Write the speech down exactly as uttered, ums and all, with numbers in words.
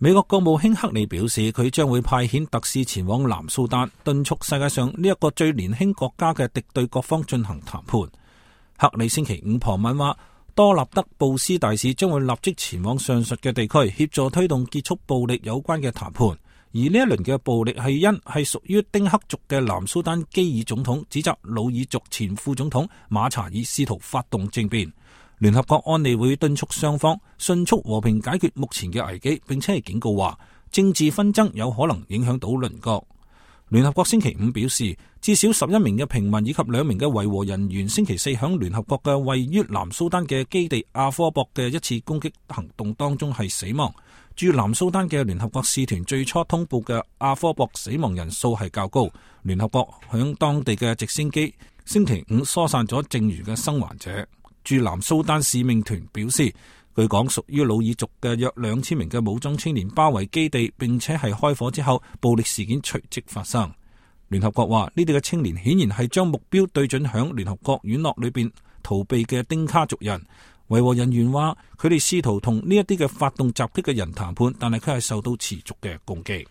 美國國務卿克里表示，佢將會派遣特使前往南蘇丹，敦促世界上呢一個最年輕國家嘅敵對各方進行談判。克里星期五傍晚話，多納德布斯大使將會立即前往上述嘅地區，協助推動結束暴力有關嘅談判。而呢一輪嘅暴力係因係屬於丁克族嘅南蘇丹基爾總統指責魯爾族前副總統馬查爾試圖發動政變。聯合國安理會敦促雙方迅速和平解決目前嘅危機，並且係警告話政治紛爭有可能影響到鄰國。聯合國星期五表示，至少十一名嘅平民以及兩名嘅維和人員星期四響聯合國嘅位於南蘇丹嘅基地阿科博嘅一次攻擊行動當中係死亡。駐南蘇丹嘅聯合國使團最初通報嘅阿科博死亡人數係較高。聯合國響當地嘅直升機星期五疏散咗剩餘嘅生還者。駐南蘇丹使命團表示，據講屬於魯爾族嘅約兩千名嘅武裝青年包圍基地，並且係開火之後，暴力事件隨即發生。聯合國話呢啲嘅青年顯然係將目標對準響聯合國院落裏邊逃避嘅丁卡族人。維和人員話佢哋試圖同呢一啲嘅發動襲擊嘅人談判，但係佢係受到持續嘅攻擊。